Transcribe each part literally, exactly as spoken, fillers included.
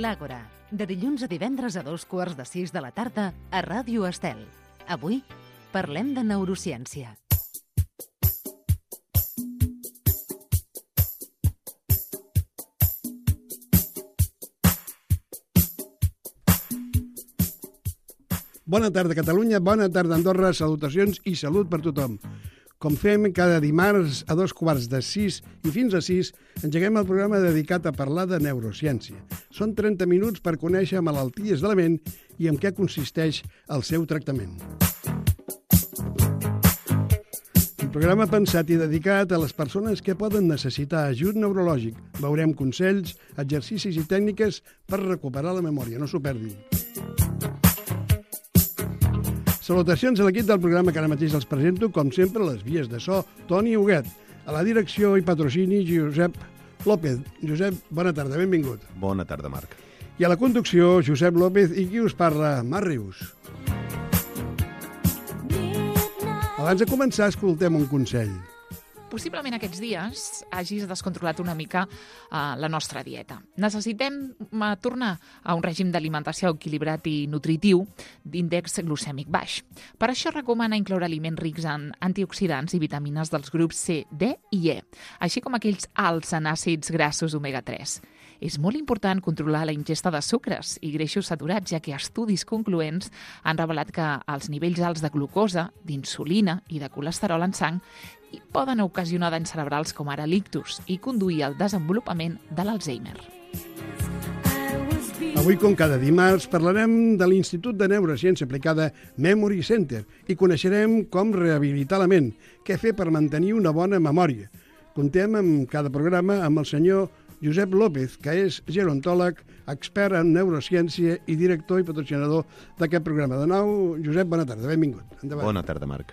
L'Àgora, de dilluns a divendres a dos quarts de sis de la tarda a Ràdio Estel. Avui parlem de neurociència. Bona tarda, Catalunya, bona tarda, Andorra, salutacions i salut per tothom. Com fem cada dimarts a dos quarts de sis i fins a sis, engeguem el programa dedicat a parlar de neurociència. Són trenta minuts per conèixer malalties de la ment i en què consisteix el seu tractament. Un programa pensat i dedicat a les persones que poden necessitar ajut neurològic. Veurem consells, exercicis i tècniques per recuperar la memòria, no s'ho perdin. Salutacions a l'equip del programa que ara mateix els presento, com sempre, les vies de so, Toni Huguet. A la direcció i patrocini, Josep López. Josep, bona tarda, benvingut. Bona tarda, Marc. I a la conducció, Josep López, i qui us parla, Marc Rius. Abans de començar, escoltem un consell. Possiblement aquests dies hagis descontrolat una mica uh, la nostra dieta. Necessitem uh, tornar a un règim d'alimentació equilibrat i nutritiu d'índex glucèmic baix. Per això recomana incloure aliments rics en antioxidants i vitamines dels grups C, D i E, així com aquells alts en àcids grassos omega tres. És molt important controlar la ingesta de sucres i greixos saturats, ja que estudis concloents han revelat que els nivells alts de glucosa, d'insulina i de colesterol en sang i poden ocasionar danys cerebrals com ara l'ictus i conduir al desenvolupament de l'Alzheimer. Avui, com cada dimarts, parlarem de l'Institut de Neurociència Aplicada Memory Center i coneixerem com rehabilitar la ment, què fer per mantenir una bona memòria. Contem en cada programa amb el senyor Josep López, que és gerontòleg, expert en neurociència i director i patrocinador d'aquest programa. De nou, Josep, bona tarda, benvingut. Endavant. Bona tarda, Marc.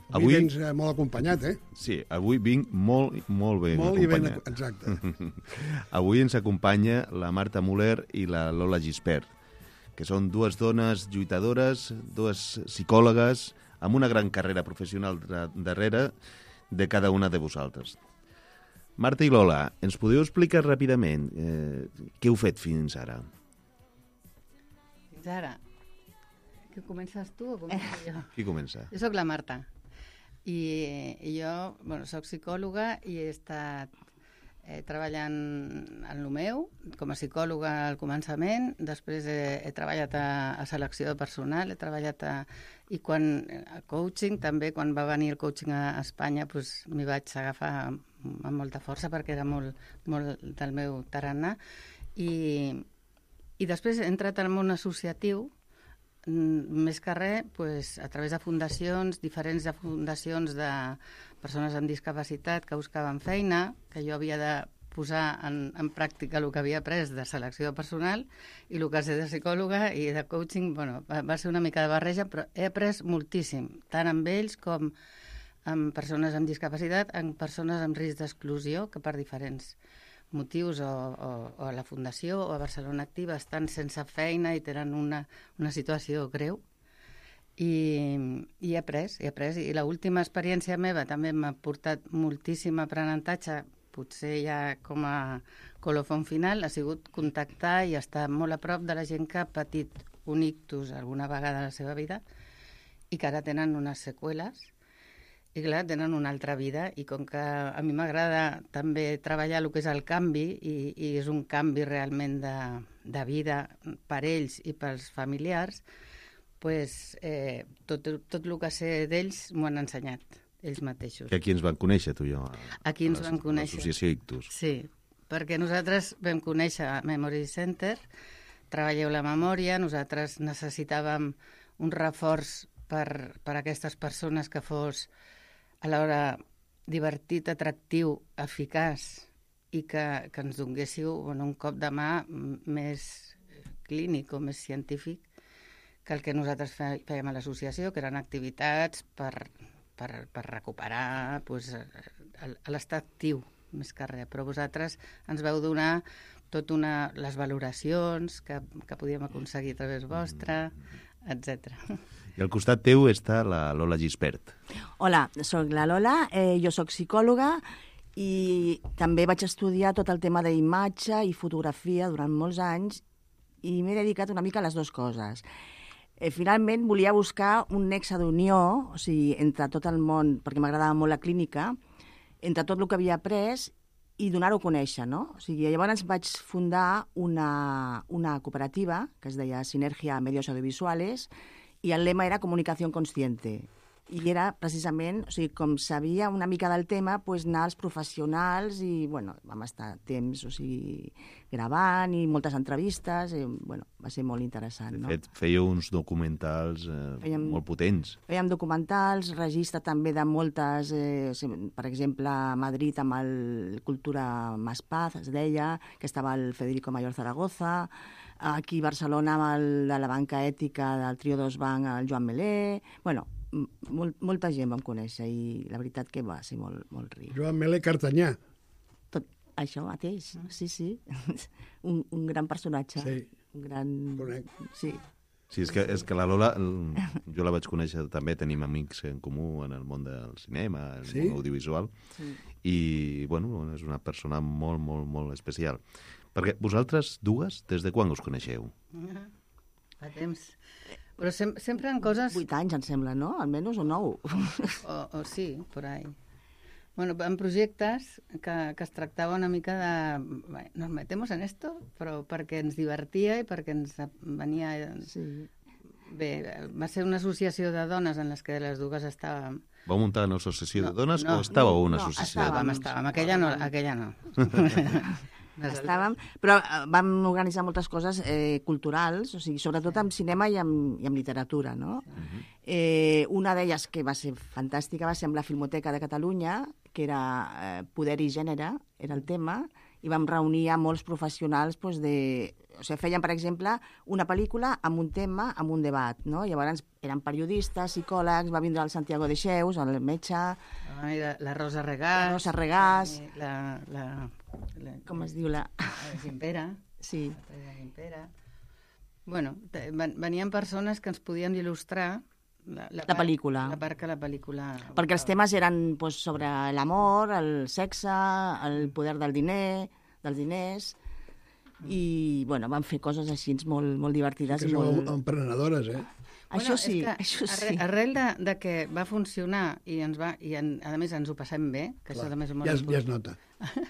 Avui, avui vens eh, molt acompanyat, eh? Sí, avui vinc molt, molt ben molt acompanyat. Ben, exacte. Avui ens acompanya la Marta Muller i la Lola Gispert, que són dues dones lluitadores, dues psicòlogues, amb una gran carrera professional darrere de cada una de vosaltres. Marta i Lola, ens podeu explicar ràpidament eh, què heu fet fins ara? Fins ara? Que comences tu o començo jo? Qui comença? Jo sóc la Marta i, i jo bueno, sóc psicòloga i he estat eh, treballant en el meu com a psicòloga al començament, després he, he treballat a, a selecció de personal, he treballat a, i quan a coaching, també quan va venir el coaching a Espanya doncs, m'hi vaig agafar amb molta força perquè era molt, molt del meu tarannà i, i després he entrat al món associatiu més que res pues, a través de fundacions, diferents de fundacions de persones amb discapacitat que buscaven feina, que jo havia de posar en, en pràctica el que havia après de selecció de personal i el que sé de psicòloga i de coaching, bueno, va, va ser una mica de barreja, però he après moltíssim, tant amb ells com amb persones amb discapacitat, amb persones amb risc d'exclusió, que per diferents motius o, o, o a la Fundació o a Barcelona Activa estan sense feina i tenen una, una situació greu. I, i he après, he après. I l'última experiència meva també m'ha portat moltíssim aprenentatge, potser ja com a colofon final, ha sigut contactar i estar molt a prop de la gent que ha patit un ictus alguna vegada a la seva vida i que ara tenen unes seqüeles. I clar, tenen una altra vida i com que a mi m'agrada també treballar el que és el canvi i, i és un canvi realment de, de vida per ells i pels familiars, pues, eh, tot, tot el que sé d'ells m'ho han ensenyat, ells mateixos. Que aquí ens van conèixer, tu i jo. Aquí ens van conèixer. L'associació Ictus. Sí, perquè nosaltres vam conèixer Memory Center, treballeu la memòria, nosaltres necessitàvem un reforç per, per a aquestes persones que fos alhora divertit, atractiu, eficaç i que, que ens donguéssiu bueno, un cop de mà més clínic o més científic que el que nosaltres fèiem a l'associació, que eren activitats per, per, per recuperar pues, l'estat actiu, més que res. Però vosaltres ens vau donar tot una, les valoracions que, que podíem aconseguir a través vostra, etcètera. I al costat teu està la Lola Gispert. Hola, sóc la Lola, eh, jo sóc psicòloga I també vaig estudiar tot el tema d'imatge i fotografia durant molts anys i m'he dedicat una mica a les dues coses. Eh, finalment volia buscar un nexe d'unió, o sigui, entre tot el món, perquè m'agradava molt la clínica, entre tot el que havia après i donar-ho a conèixer, no? O sigui, llavors vaig fundar una, una cooperativa que es deia Sinergia Medios Audiovisuales i el lema era Comunicació Consciente. I era precisament, o sigui, com sabia una mica del tema, doncs anar als professionals i, bueno, vam estar temps, o sigui, gravant i moltes entrevistes, i, bueno, va ser molt interessant, no? De fet, fèieu uns documentals eh, Fèiem, molt potents. Fèiem documentals, registre també de moltes, eh, per exemple, a Madrid amb el Cultura Más Paz, es deia, que estava el Federico Mayor Zaragoza, aquí a Barcelona amb el de la banca ètica del Trio dos Banc, el Joan Melé, bueno, Mol, molta gent vam conèixer i la veritat que va ser molt, molt ric. Joan Melé Cartanyà. Tot això mateix, sí, sí. un, un gran personatge. Sí. Un gran... Conec. Sí. Sí, és que, és que la Lola, jo la vaig conèixer també, tenim amics en comú en el món del cinema, el sí? món audiovisual, sí. I, bueno, és una persona molt, molt, molt especial. Perquè vosaltres dues, des de quan us coneixeu? Fa temps. Però sem sempre en coses... Vuit anys, em sembla, no? Almenys o nou. O, o sí, por ahí. Bueno, en projectes que, que es tractava una mica de... Bueno, nos metemos en esto, però perquè ens divertia i perquè ens venia... Sí. Bé, va ser una associació de dones en les que les dues estàvem... Vau muntar una associació no, de dones no, o estàveu no, una no, associació? Estàvem, estàvem. Aquella no. Aquella no. Estàvem, però vam organitzar moltes coses eh, culturals, o sigui, sobretot amb cinema i amb, i amb literatura, no? Uh-huh. eh, una d'elles que va ser fantàstica va ser amb la Filmoteca de Catalunya, que era eh, Poder i Gènere, era el tema, i vam reunir a molts professionals doncs, de... O sigui, feien, per exemple, una pel·lícula amb un tema, amb un debat, no? Llavors eren periodistes, psicòlegs, va vindre el Santiago de Xeus, el metge... Ah, la, la Rosa Regàs... La Rosa Regàs... La, la, la, com es diu la... La Gimpera. Sí. La Gimpera. Bueno, venien persones que ens podien il·lustrar la, la, la pel·lícula. La part que la pel·lícula... Perquè els temes eren pues, sobre l'amor, el sexe, el poder del diner, dels diners... i bueno, van fer coses així molt, molt divertides. Sí que molt... sou emprenedores, eh? Això bueno, sí, que això sí. Arrel, arrel de, de que va funcionar i, ens va, i en, a més ens ho passem bé, que Clar, això també és molt ja, es, ja es important. nota.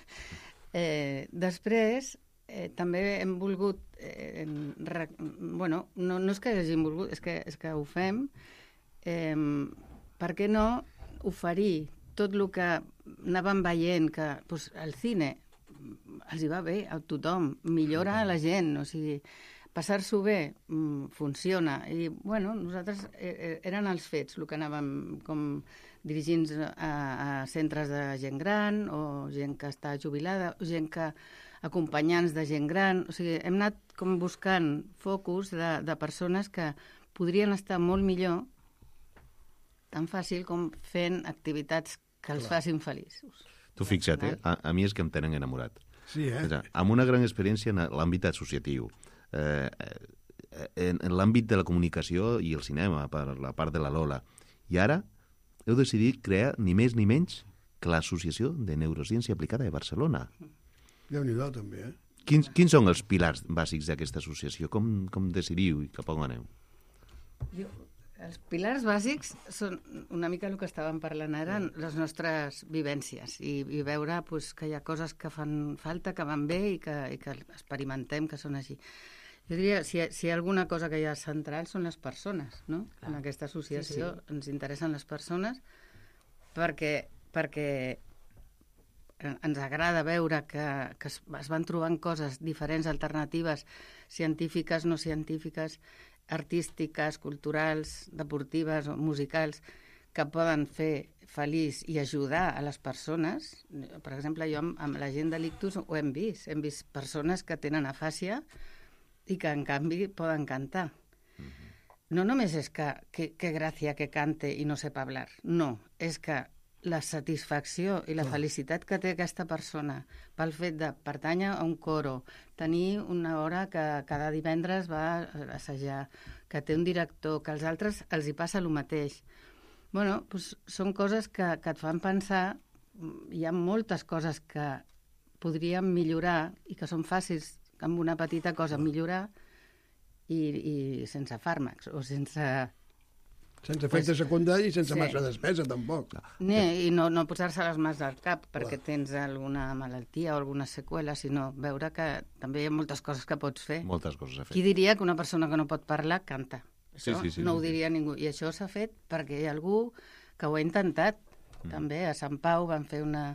eh, després, eh, també hem volgut... Eh, re, bueno, no, no és que hàgim volgut, és que, és que ho fem. Eh, per què no oferir tot el que anàvem veient, que pues, el cine... els hi va bé a tothom, millora a la gent, o sigui, passar-s'ho bé funciona. I, bueno, nosaltres eh, eren els fets, el que anàvem com dirigint a, a centres de gent gran, o gent que està jubilada, o gent que acompanyants de gent gran, o sigui, hem anat com buscant focus de, de persones que podrien estar molt millor, tan fàcil com fent activitats que els Clar. facin feliços. Tu fixa't, eh? a, a mi és que em tenen enamorat. Sí, eh? És a, amb una gran experiència en l'àmbit associatiu, eh, en, en l'àmbit de la comunicació i el cinema, per la part de la Lola. I ara heu decidit crear ni més ni menys que l'Associació de Neurociència Aplicada de Barcelona. Déu-n'hi-do, també, eh? Quins, quins són els pilars bàsics d'aquesta associació? Com, com decidiu i cap on aneu? Jo, els pilars bàsics són una mica el que estàvem parlant ara, les nostres vivències, i, i veure pues, que hi ha coses que fan falta, que van bé i que, i que experimentem que són així. Jo diria, si, si hi ha alguna cosa que hi ha central són les persones, no? Clar. En aquesta associació sí, sí. Ens interessen les persones perquè, perquè ens agrada veure que, que es, es van trobant coses diferents, alternatives, científiques, no científiques, artístiques, culturals, deportives o musicals, que poden fer feliç i ajudar a les persones. Per exemple, jo amb, amb la gent de l'ictus ho hem vist. Hem vist persones que tenen afàsia i que, en canvi, poden cantar. Mm-hmm. No només és que, que, que gràcia que cante i no sepa hablar. No, és que la satisfacció i la oh. felicitat que té aquesta persona pel fet de pertànyer a un coro, tenir una hora que cada divendres va a assajar, que té un director, que als altres els hi passa el mateix. Bueno, doncs són coses que, que et fan pensar hi ha moltes coses que podríem millorar i que són fàcils amb una petita cosa millorar i, i sense fàrmacs o sense... Sense efecte pues, secundari i sense sí. massa despesa, tampoc. No, I no, no posar-se les mans al cap perquè Clar. tens alguna malaltia o alguna seqüela, sinó veure que també hi ha moltes coses que pots fer. Moltes coses a fer. Qui diria que una persona que no pot parlar canta? Això sí, sí, sí, no sí, ho diria sí. ningú. I això s'ha fet perquè hi ha algú que ho ha intentat. Mm. També a Sant Pau van fer una,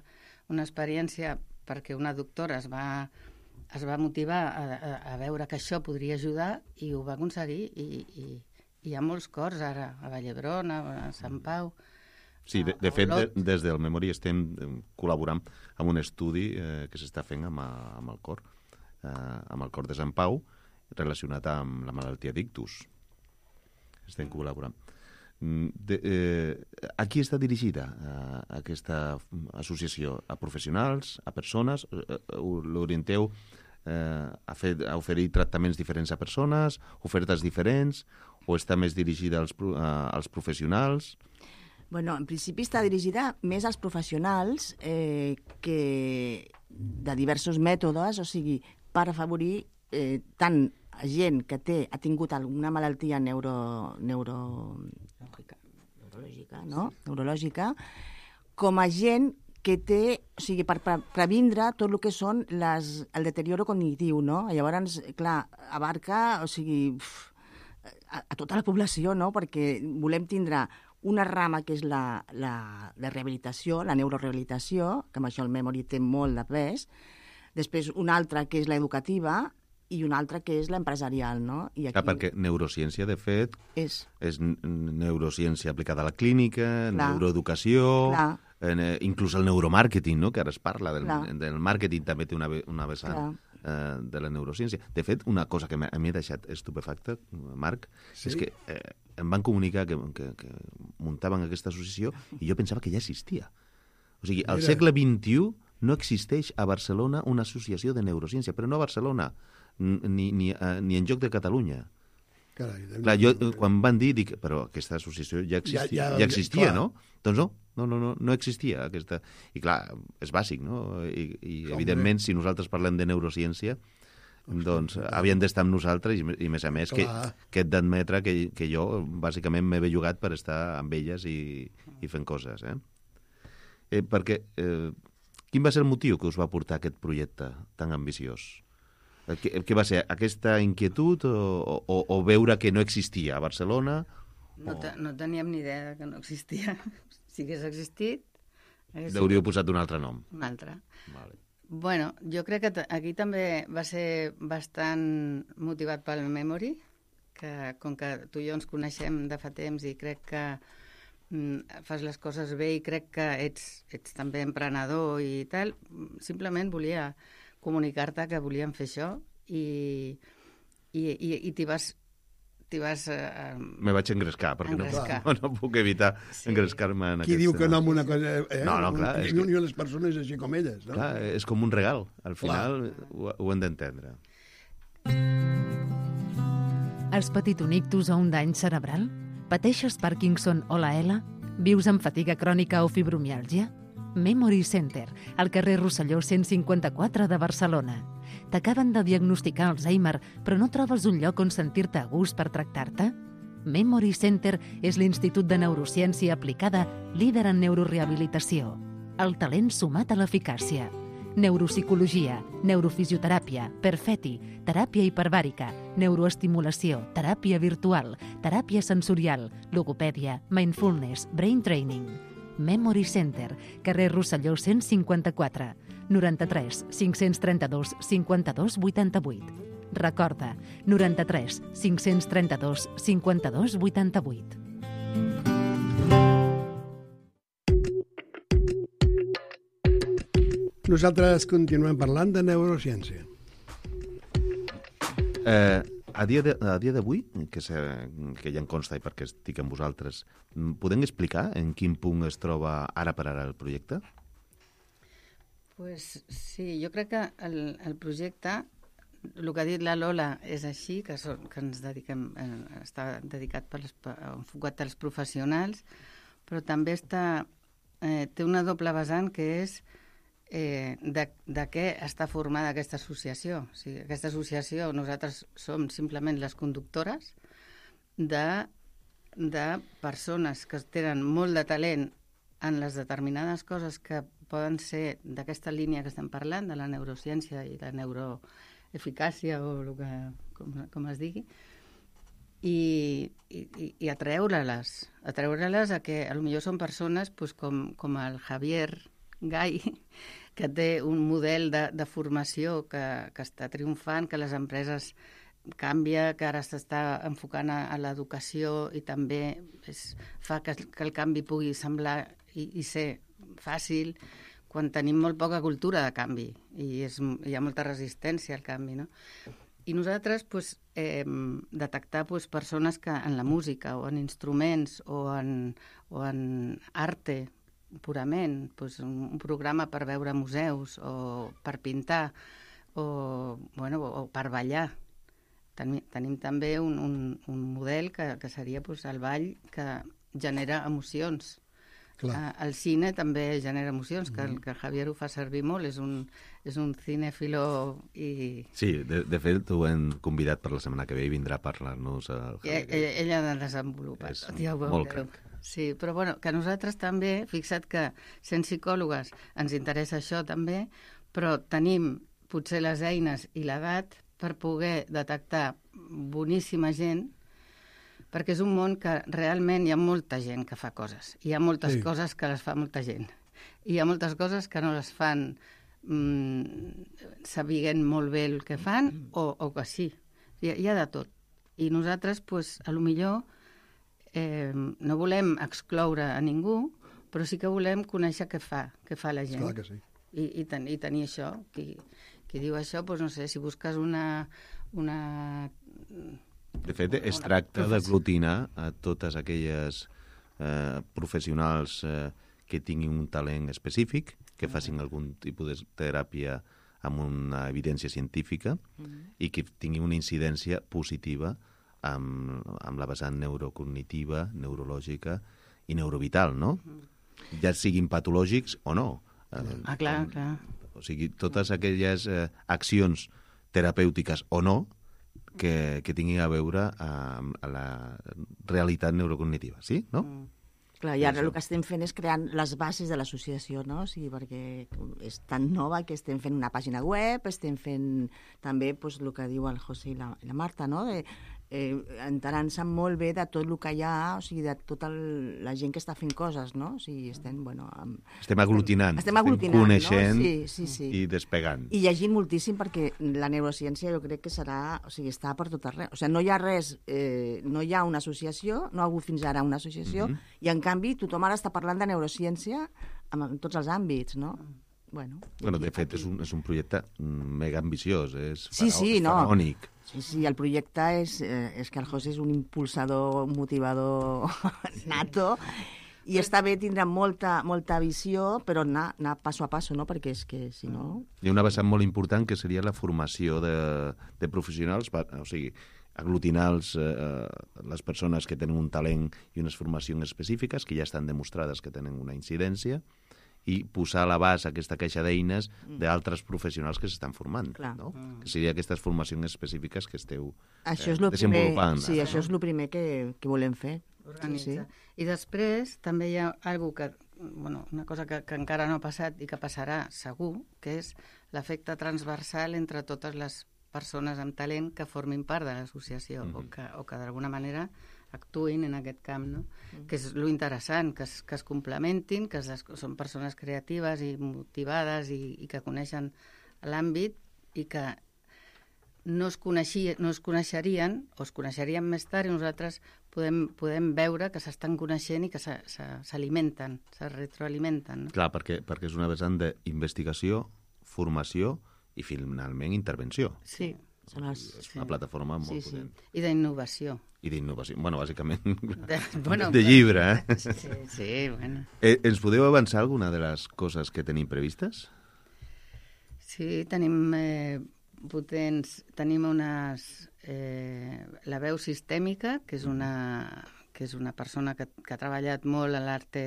una experiència perquè una doctora es va, es va motivar a, a, a veure que això podria ajudar i ho va aconseguir i... i hi ha molts cors ara, a Vall d'Hebron, a Sant Pau... Sí, de, de fet, de, des del Memory estem col·laborant amb un estudi eh, que s'està fent amb, amb el cor, eh, amb el cor de Sant Pau, relacionat amb la malaltia d'ictus. Estem col·laborant. De, eh, a qui està dirigida eh, aquesta associació? A professionals, a persones? Eh, l'orienteu eh, a, fer, a oferir tractaments diferents a persones, ofertes diferents, o està més dirigida als, uh, als professionals? Bueno, en principi està dirigida més als professionals eh, que de diversos mètodes, o sigui, per afavorir eh, tant a gent que té, ha tingut alguna malaltia neuro, neuro, neurològica, no? neurològica, com a gent que té, o sigui, per previndre tot el que són les, el deterioro cognitiu, no? Llavors, clar, abarca, o sigui, uf, a, a tota la població, no? Perquè volem tindre una rama que és la, la, la rehabilitació, la neurorehabilitació, que amb això el Memory té molt de pes, després una altra que és l'educativa i una altra que és l'empresarial, no? I aquí... Ah, perquè neurociència, de fet, és, és neurociència aplicada a la clínica, clar, neuroeducació, eh, inclús el neuromàrqueting, no? Que ara es parla del, del màrqueting, també té una, una vessant eh, de la neurociència. De fet, una cosa que a mi m'ha deixat estupefacta, Marc, sí? és que eh, em van comunicar que, que, que muntaven aquesta associació i jo pensava que ja existia. O sigui, al segle vint-i-u no existeix a Barcelona una associació de neurociència, però no a Barcelona, ni, ni, uh, ni en lloc de Catalunya. Carai, clar, jo, quan van dir, dic, però aquesta associació ja existia, ja, ja, ja existia ja, no? Doncs no, no, no, no, no existia aquesta... I clar, és bàsic, no? I, i evidentment, si nosaltres parlem de neurociència, doncs havien d'estar amb nosaltres i, i més a més, que, que et d'admetre que, que jo, bàsicament, m'he bellugat per estar amb elles i, i fent coses, eh? eh perquè, eh, quin va ser el motiu que us va portar aquest projecte tan ambiciós? Què, què va ser? Aquesta inquietud o, o, o veure que no existia a Barcelona? No, te, no teníem ni idea que no existia. Si hagués existit... Hagués Hauríeu posat un altre nom. Un altre. Vale. Bueno, jo crec que aquí també va ser bastant motivat pel Memory, que com que tu i jo ens coneixem de fa temps i crec que mm, fas les coses bé i crec que ets, ets també emprenedor i tal, simplement volia comunicar-te que volíem fer això i, i, i, i t'hi vas... T'hi vas eh, Me vaig engrescar, perquè engrescar. No, no puc evitar sí. engrescar-me en Qui aquest... diu que no amb una cosa... Eh? No, no, clar. Un, és que... les persones així com elles, no? Clar, és com un regal. Al final ho, ho hem d'entendre. Has patit un ictus o un dany cerebral? Pateixes Parkinson o la E L A? Vius amb fatiga crònica o fibromiàlgia? Memory Center, al carrer Rosselló cent cinquanta-quatre de Barcelona. T'acaben de diagnosticar Alzheimer, però no trobes un lloc on sentir-te a gust per tractar-te? Memory Center és l'Institut de Neurociència Aplicada líder en neurorehabilitació. El talent sumat a l'eficàcia. Neuropsicologia, neurofisioteràpia, perfeti, teràpia hiperbàrica, neuroestimulació, teràpia virtual, teràpia sensorial, logopèdia, mindfulness, brain training. Memory Center, carrer Rosselló cent cinquanta-quatre, noranta-tres cinc-cents trenta-dos cinquanta-dos vuitanta-vuit. Recorda, noranta-tres cinc-cents trenta-dos cinquanta-dos vuitanta-vuit. Nosaltres continuem parlant de neurociència. Eh, a dia de, a dia d'avui, que, se, que ja em consta i perquè estic amb vosaltres, podem explicar en quin punt es troba ara per ara el projecte? Pues sí, jo crec que el, el projecte, el que ha dit la Lola és així, que, són, que ens dediquem, eh, està dedicat per les, enfocat als professionals, però també està eh, té una doble vessant que és eh, de, de què està formada aquesta associació. O sigui, aquesta associació, nosaltres som simplement les conductores de, de persones que tenen molt de talent en les determinades coses que poden ser d'aquesta línia que estem parlant, de la neurociència i la neuroeficàcia, o el que, com, com es digui, i, i, i atreure-les, atreure-les a que potser són persones pues, com, com el Javier Gai, que té un model de, de formació que, que està triomfant, que les empreses canvia, que ara s'està enfocant a, a l'educació i també és, fa que, que el canvi pugui semblar i, i ser fàcil, quan tenim molt poca cultura de canvi i és, hi ha molta resistència al canvi, no? I nosaltres pues, eh, detectar pues, persones que en la música o en instruments o en, o en arte purament, pues, un, un programa per veure museus o per pintar o, bueno, o per ballar. Tenim, tenim també un, un, un model que, que seria pues, el ball que genera emocions. Uh, el cine també genera emocions, que el que Javier ho fa servir molt, és un, és un cinèfilo i... Sí, de, de fet ho hem convidat per la setmana que ve i vindrà a parlar-nos al Javier. Ell, ell ha de desenvolupar. És ja molt crac. Sí, però bueno, que nosaltres també, fixa't que sent psicòlogues ens interessa això també, però tenim potser les eines i l'edat per poder detectar boníssima gent, perquè és un món que realment hi ha molta gent que fa coses. Hi ha moltes sí. coses que les fa molta gent. I hi ha moltes coses que no les fan mmm, sabent molt bé el que fan o, o que sí. Hi ha, hi ha de tot. I nosaltres, pues, a lo millor, eh, no volem excloure a ningú, però sí que volem conèixer què fa, què fa la gent. Clar que sí. I, i, ten, i tenir això. Qui, qui diu això, pues, no sé, si busques una... una De fet, es tracta d'aglutinar a totes aquelles eh, professionals eh, que tinguin un talent específic, que facin algun tipus de teràpia amb una evidència científica mm-hmm. i que tinguin una incidència positiva amb, amb la vessant neurocognitiva, neurològica i neurovital, no? Mm-hmm. Ja siguin patològics o no. Ah, clar, clar. O sigui, totes aquelles eh, accions terapèutiques o no que, que tinguin a veure amb la realitat neurocognitiva, sí? No? Mm. Clar, i ara el que estem fent és creant les bases de l'associació, no? O sigui, perquè és tan nova que estem fent una pàgina web, estem fent també pues, el que diu el José i la, la Marta, no? De, eh, enterant-se molt bé de tot el que hi ha, o sigui, de tota el, la gent que està fent coses, no? O sigui, estem, bueno... Amb, estem aglutinant, estem, estem aglutinant, estem coneixent, no? Sí, sí, sí. i despegant. I llegint moltíssim perquè la neurociència jo crec que serà, o sigui, està per tot arreu. O sigui, no hi ha res, eh, no hi ha una associació, no ha hagut fins ara una associació, mm-hmm. i en canvi tothom ara està parlant de neurociència en, en tots els àmbits, no? Bueno, bueno de fet, és un, és un projecte mega ambiciós, és, sí, faraó, sí, és no. faraònic. Sí, sí, el projecte és, eh, és que el José és un impulsador, un motivador nato, i està bé tindre molta, molta visió, però anar, anar passo a passo, no? Perquè és que, si no... Hi ha una vessant molt important que seria la formació de, de professionals, o sigui, aglutinar els, eh, les persones que tenen un talent i unes formacions específiques, que ja estan demostrades que tenen una incidència, i posar a l'abast aquesta caixa d'eines d'altres professionals que s'estan formant, no? Mm. Que seria aquestes formacions específiques que esteu això eh, és lo desenvolupant. Primer, sí, ara, això no? És el primer que, que volem fer. Organitzar. Sí. I després també hi ha algo que, bueno, una cosa que, que encara no ha passat i que passarà segur, que és l'efecte transversal entre totes les persones amb talent que formin part de l'associació, mm-hmm. o que, o que d'alguna manera actuïn en aquest camp, no? Mm. Que és lo interessant, que es, que es complementin, que es, són persones creatives i motivades i, i que coneixen l'àmbit i que no es, coneixia, no es coneixerien o es coneixerien més tard i nosaltres podem, podem veure que s'estan coneixent i que s'alimenten, se retroalimenten. No? Clar, perquè, perquè és una vessant d'investigació, formació i finalment intervenció. Sí. Són les... És una sí. plataforma molt sí, sí. potent. I d'innovació. I d'innovació. Bueno, bàsicament de, bueno, de llibre, eh? Sí, sí, bueno. Eh, ens podeu avançar alguna de les coses que tenim previstes? Sí, tenim eh, potents... Tenim unes... Eh, la veu sistèmica, que és una, que és una persona que, que ha treballat molt a l'arte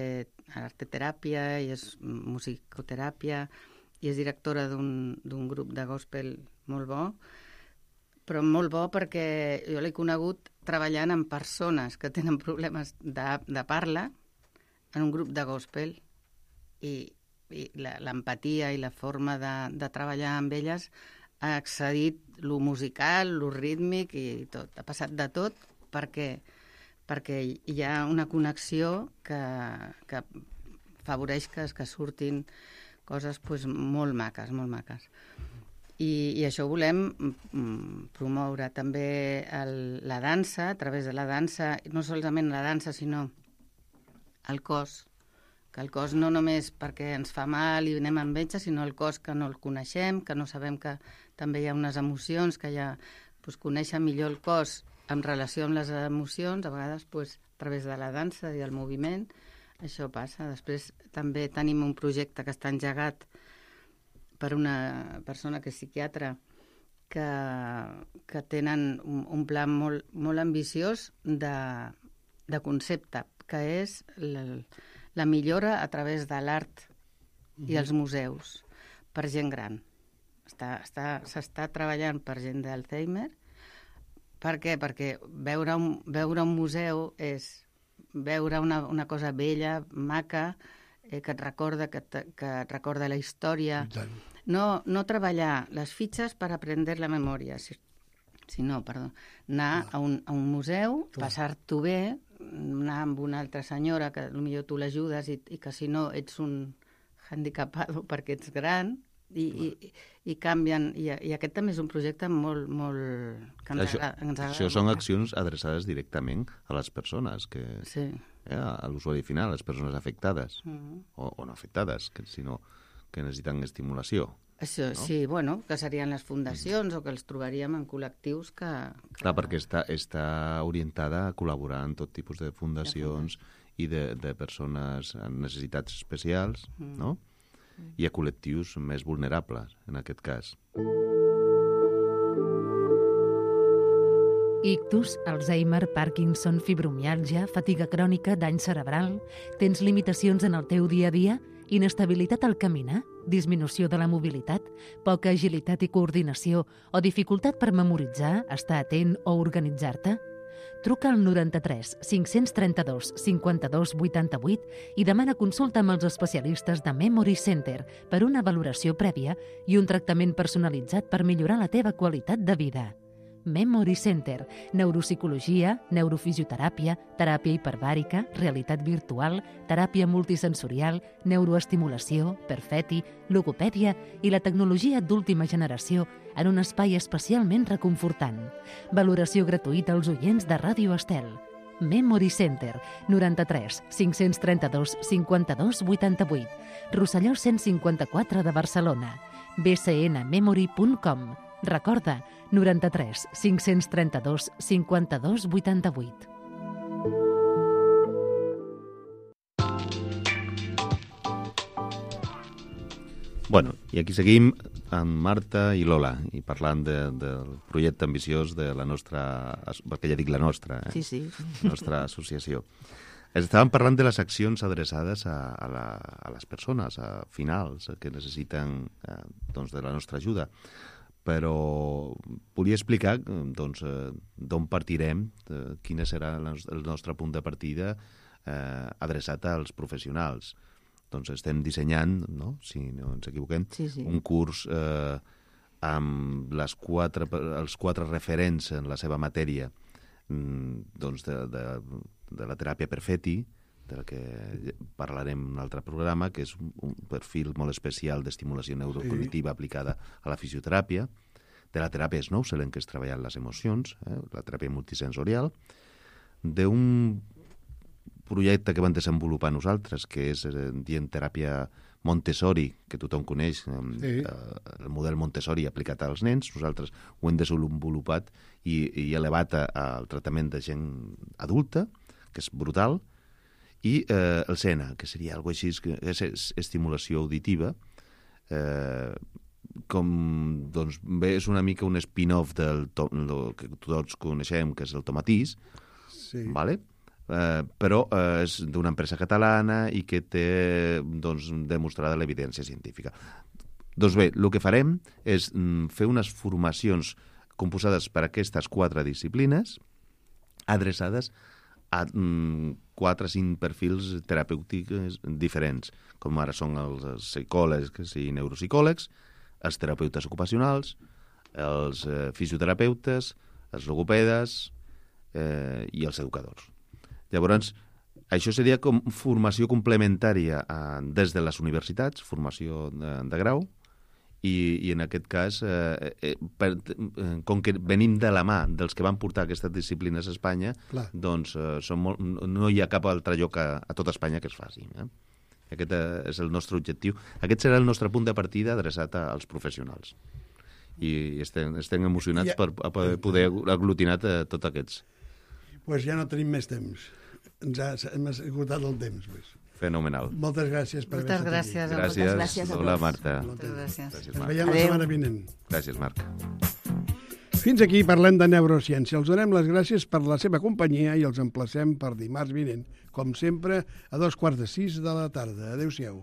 a l'arteteràpia i és musicoteràpia i és directora d'un grup de gospel molt bo, però molt bo perquè jo l'he conegut treballant amb persones que tenen problemes de, de parla en un grup de gospel i, i l'empatia i la forma de, de treballar amb elles ha excedit lo musical, lo rítmic i tot. Ha passat de tot perquè, perquè hi ha una connexió que, que afavoreix que, que surtin coses pues, molt maques, molt maques. I, i això ho volem mm, promoure. També el, la dansa, a través de la dansa, no solament la dansa, sinó el cos, que el cos no només perquè ens fa mal i anem amb metge, sinó el cos que no el coneixem, que no sabem que també hi ha unes emocions, que ja pues, conèixer millor el cos en relació amb les emocions, a vegades pues, a través de la dansa i el moviment, això passa. Després també tenim un projecte que està engegat per una persona que és psiquiatra que, que tenen un, un pla molt, molt ambiciós de, de concepte, que és la, la millora a través de l'art i els museus per gent gran. Està, està, s'està treballant per gent d'Alzheimer. Per què? Perquè veure un, veure un museu és veure una, una cosa bella, maca, eh, que et recorda que, te, que et recorda la història. No, no treballar les fitxes per aprendre la memòria, si, sinó, perdó, anar a un, a un museu, passar-t'ho bé, anar amb una altra senyora que potser tu l'ajudes i, i que si no ets un handicapado perquè ets gran, i, i, i canvien, i, i aquest també és un projecte molt, molt que ens això, agrada, ens agrada això són accions adreçades directament a les persones que, sí. eh, a l'usuari final, a les persones afectades uh-huh. o, o no afectades, que, sinó que necessiten estimulació. Això, no? Sí, bueno, que serien les fundacions mm. o que els trobaríem en col·lectius que... que... Clar, perquè està, està orientada a col·laborar en tot tipus de fundacions i de, de persones amb necessitats especials, mm. no? I a col·lectius més vulnerables, en aquest cas. Ictus, Alzheimer, Parkinson, fibromiàlgia, fatiga crònica, dany cerebral... Tens limitacions en el teu dia a dia? Inestabilitat al caminar? Disminució de la mobilitat? Poca agilitat i coordinació? O dificultat per memoritzar, estar atent o organitzar-te? Truca al noranta-tres cinc-cents trenta-dos cinquanta-dos vuitanta-vuit i demana consulta amb els especialistes de Memory Center per una valoració prèvia i un tractament personalitzat per millorar la teva qualitat de vida. Memory Center, neuropsicologia, neurofisioteràpia, teràpia hiperbàrica, realitat virtual, teràpia multisensorial, neuroestimulació, perfeti, logopèdia i la tecnologia d'última generació en un espai especialment reconfortant. Valoració gratuïta als oients de Ràdio Estel. Memory Center, noranta-tres cinc-cents trenta-dos cinquanta-dos vuitanta-vuit, Rosselló cent cinquanta-quatre de Barcelona, b c n memory punt com. Recorda, noranta-tres cinc-cents trenta-dos cinquanta-dos vuitanta-vuit. Bueno, i aquí seguim amb Marta i Lola i parlant de, del projecte ambiciós de la nostra, perquè ja dic la nostra, eh? Sí, sí. nostra associació. Estàvem parlant de les accions adreçades a, a, la, a les persones, a finals, que necessiten eh, doncs, de la nostra ajuda. Però volia explicar doncs, d'on partirem, de quin serà el nostre punt de partida eh, adreçat als professionals. Doncs estem dissenyant, no? Si no ens equivoquem, sí, sí. un curs eh, amb les quatre, els quatre referents en la seva matèria doncs de, de, de la teràpia Perfetti, de la que parlarem en un altre programa, que és un perfil molt especial d'estimulació neurocognitiva sí. aplicada a la fisioteràpia, de la teràpia Snousel, en què es treballen les emocions, eh, la teràpia multisensorial, d'un projecte que vam desenvolupar nosaltres, que és eh, dient teràpia Montessori, que tothom coneix, eh, sí. eh, el model Montessori aplicat als nens. Nosaltres ho hem desenvolupat i, i elevat al tractament de gent adulta, que és brutal, i eh, el SENA, que seria alguna cosa així, que és, és estimulació auditiva, eh, com, doncs, bé, és una mica un spin-off del to, lo que tots coneixem, que és el tomatís, sí. vale? eh, però eh, és d'una empresa catalana i que té doncs, demostrada l'evidència científica. Doncs bé, el que farem és mm, fer unes formacions composades per aquestes quatre disciplines adreçades a mm, quatre o cinc perfils terapèutics diferents, com ara són els psicòlegs i neuropsicòlegs, els terapeutes ocupacionals, els eh, fisioterapeutes, els logopedes eh, i els educadors. Llavors, això seria com formació complementària eh, des de les universitats, formació de, de grau, i, i en aquest cas, eh, eh, per, eh, com que venim de la mà dels que van portar aquestes disciplines a Espanya, Clar. doncs eh, són molt, no hi ha cap altre lloc a, a tot Espanya que es faci. Eh? Aquest eh, és el nostre objectiu. Aquest serà el nostre punt de partida adreçat a, als professionals. I estem, estem emocionats ja. per, per poder aglutinar tots aquests. Doncs pues ja no tenim més temps. Ens ha, hem esgotat el temps. Pues. Fenomenal. Moltes gràcies per Moltes haver estat gràcies. aquí. Gràcies. Moltes gràcies a Hola, tots. Marta. Moltes gràcies. Gràcies, Ens Marc. veiem la Adéu. setmana vinent. Gràcies, Marc. Fins aquí parlem de neurociència. Els donem les gràcies per la seva companyia i els emplacem per dimarts vinent, com sempre, a dos quarts de sis de la tarda. Adéu-siau.